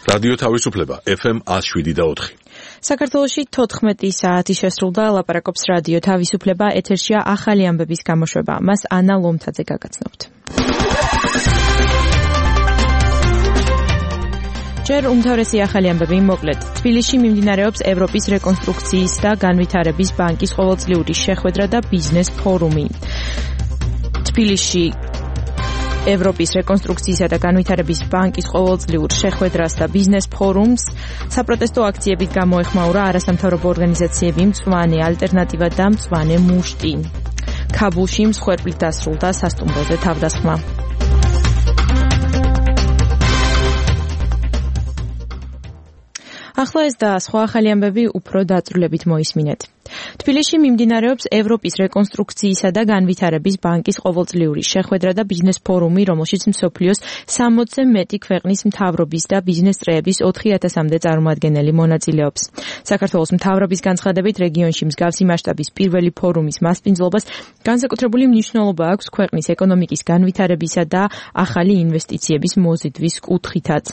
რადიო თავისუფლება FM 107.4. საქართველოში 14 საათი შესრულდა, ლაპარაკობს რადიო თავისუფლება, ეთერშია ახალი ამბების გამოშვება. მას ანა ლომთაძე გაგაცნობთ. ჯერ უმთავრესი ახალი ამბები მოკლედ. თბილისში მიმდინარეობს ევროპის რეკონსტრუქციის და განვითარების ბანკის ყოველწლიური შეხვედრა და ბიზნეს ფორუმი. თბილისში ევროპის რეკონსტრუქციისა და განვითარების ბანკის ყოველწლიურ შეხვედრას და ბიზნეს ფორუმს საპროტესტო აქციებით გამოეხმაურა არასამთავრობო ორგანიზაციები მწვანე ალტერნატივა და მწვანე მუშტი. ქაბულში მსხვერპლით დასრულდა სასტუმროზე თავდასხმა. ახლა ეს და სხვა ახალი ამბები უფრო დაწვრილებით მოისმინეთ. თბილისში მიმდინარეობს ევროპის რეკონსტრუქციისა და განვითარების ბანკის ყოველწლიური შეხვედრა და ბიზნეს ფორუმი, რომელშიც მსოფლიოს 60-ზე მეტი ქვეყნის მთავრობის და ბიზნეს წრეების 4000-მდე წარმომადგენელი მონაწილეობს. საქართველოს მთავრობის განცხადებით, რეგიონში მსგავსი მასშტაბის პირველი ფორუმის მასპინძლობას განსაკუთრებული მნიშვნელობა აქვს ქვეყნის ეკონომიკის განვითარებისა და ახალი ინვესტიციების მოზიდვის კუთხითაც.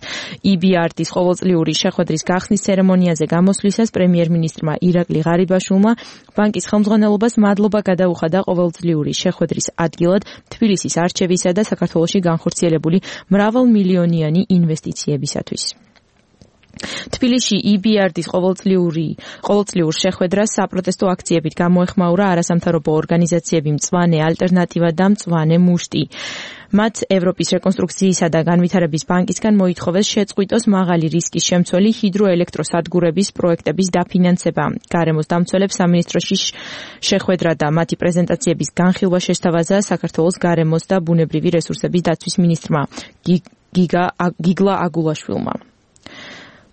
EBRD-ის ყოველწლიური შეხვედრის გახსნის ცერემონიაზე გამოსვლისას პრემიერ-მინისტრმა ირაკლი ღარიბაშვილმა ბანკის ხელმძღვანელობას მადლობა გადაუხადა ყოველწლიური შეხვედრის ადგილად თბილისის არჩევისა და საქართველოში განხორციელებული მრავალმილიონიანი ინვესტიციებისათვის. თბილისში EBRD-ის ყოველწლიურ შეხვედრას საპროტესტო აქციებით გამოეხმაურა არასამთავრობო ორგანიზაციები მწვანე ალტერნატივა და მწვანე მუშტი. მათ ევროპის რეკონსტრუქციისა და განვითარების ბანკისგან მოითხოვეს შეწყვიტოს მაღალი რისკის შემცველი ჰიდროელექტროსადგურების პროექტების დაფინანსება. გარემოს დამცველებს სამინისტროში შეხვედრა და მათი პრეზენტაციების განხილვა შესთავაზა საქართველოს გარემოს და ბუნებრივი რესურსების დაცვის მინისტრმა გიგლა აგულაშვილმა.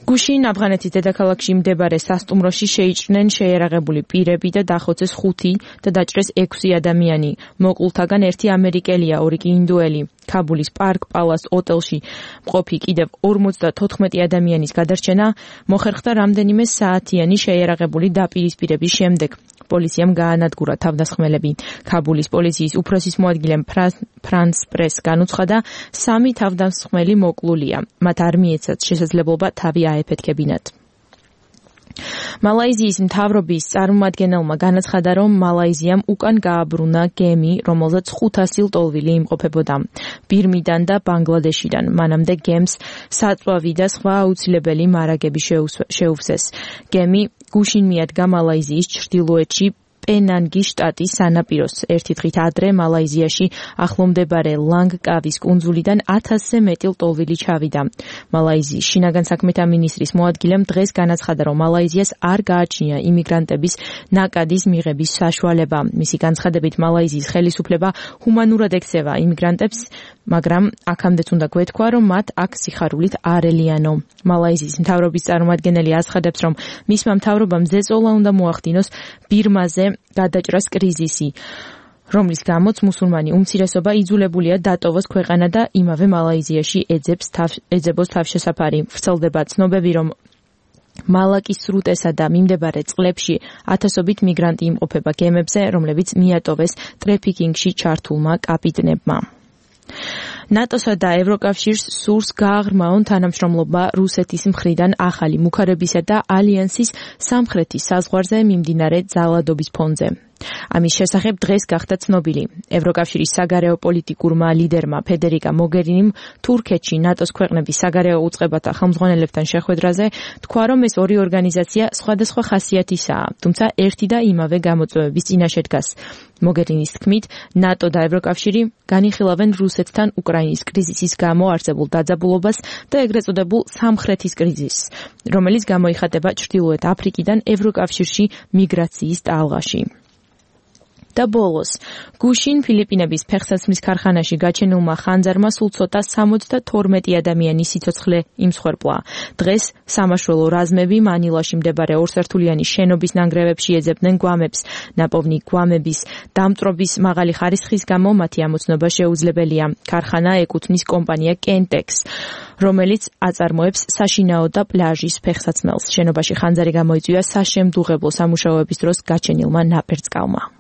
გუშინ ავღანეთის დედაქალაქში მდებარე სასტუმროში შეიჭრნენ შეიარაღებული პირები და დახოცეს 5 და დაჭრეს 6 ადამიანი. მოკლულთაგან ერთი ამერიკელია, 2 კი ინდუელი. ქაბულის პარკ პალას ოტელში მყოფი კიდევ 54 ადამიანის გადარჩენა მოხერხდა რამდენიმე საათიანი შეიარაღებული დაპირისპირების შემდეგ. პოლიციამ გაანადგურა თავდასხმელები. ქაბულის პოლიციის უფროსის მოადგილემ ფრანს პრეს განუცხადა, 3 თავდასხმელი მოკლულია. მათ არ მიეცათ შესაძლებლობა თავი აეფეთქებინათ. მალაიზიის მთავრობის წარმომადგენელმა განაცხადა, რომ მალაიზიამ უკან გააბრუნა გემი, რომელზეც 500 ლტოლვილი იმყოფებოდა ბირმიდან და ბანგლადეშიდან. მანამდე გემს საწვავი და სხვა აუცილებელი მარაგები შეუვსეს. გემი გუშინ მიადგა მალაიზიის ჩრდილოეთში პენანგის შტატის სანაპიროს. ერთი დღით ადრე მალაიზიაში ახლომდებარე ლანგკავის კუნძულიდან 1000-ზე მეტი ლტოლვილი ჩავიდა. მალაიზიის შინაგან საქმეთა მინისტრის მოადგილემ დღეს განაცხადა, რომ მალაიზიას არ გააჩნია იმიგრანტების ნაკადის მიღების საშუალება. მისი განცხადებით, მალაიზიის ხელისუფლება ჰუმანურად ექცევა იმიგრანტებს, მაგრამ აქამდეც უნდა გვეთქვა, რომ მათ აქ სიხარულით არ ელიანო. მალაიზიის მთავრობის წარმომადგენელი აცხადებს, რომ მისმა მთავრობამ ზეწოლა უნდა მოახდინოს ბირმაზე გადაჭრას კრიზისი, რომლის გამოც მუსულმანი უმცირესობა იძულებულია დატოვოს ქვეყანა და იმავე მალაიზიაში ეძებოს თავშესაფარი. ვრცელდება ცნობები, რომ მალაკის სრუტესა და მიმდებარე წყლებში ათასობით მიგრანტი იმყოფება გემებზე, რომლებიც მიატოვეს ტრეფიკინგში ჩართულმა კაპიტნებმა. ნატოსა და ევროკავშირს სურს გააღრმაონ თანამშრომლობა რუსეთის მხრიდან ახალი მუქარებისა და ალიანსის სამხრეთის საზღვარზე მიმდინარე ძალადობის ფონზე. ამის შესახებ დღეს გახდა ცნობილი. ევროკავშირის საგარეო პოლიტიკურმა ლიდერმა ფედერიკა მოგერინიმ თურქეთში ნატოს ქვეყნების საგარეო უწყებათა ხელმძღვანელებთან შეხვედრაზე თქვა, რომ ეს ორი ორგანიზაცია სხვადასხვა ხასიათისაა, თუმცა ერთი და იმავე გამოწვევების წინაშე დგას. მოგერინის თქმით, ნატო და ევროკავშირი განიხილავენ რუსეთთან უკრაინის კრიზისის გამო არსებულ დაძაბულობას და ეგრეთ წოდებულ სამხრეთის კრიზისს, რომელიც გამოიხატება ჩრდილოეთ აფრიკიდან ევროკავშირში მიგრაციის ტალღაში. და ბოლოს, გუშინ ფილიპინების ფეხსაცმლის ქარხანაში გაჩენილმა ხანძარმა სულ ცოტა 72 ადამიანის სიცოცხლე იმსხვერპლა. დღეს სამაშველო რაზმები მანილაში მდებარე ორსართულიანი შენობის ნანგრევებში ეძებდნენ გვამებს. ნაპოვნი გვამების დამწრობის მაღალი ხარისხის გამო მათი ამოცნობა შეუძლებელია. ქარხანა ეკუთვნის კომპანია Kentex, რომელიც აწარმოებს საშინაო და პლაჟის ფეხსაცმელს. შენობაში ხანძარი გამოიწვია საშემდუღებლო სამუშაოების დროს გაჩენილმა ნაპერწკალმა.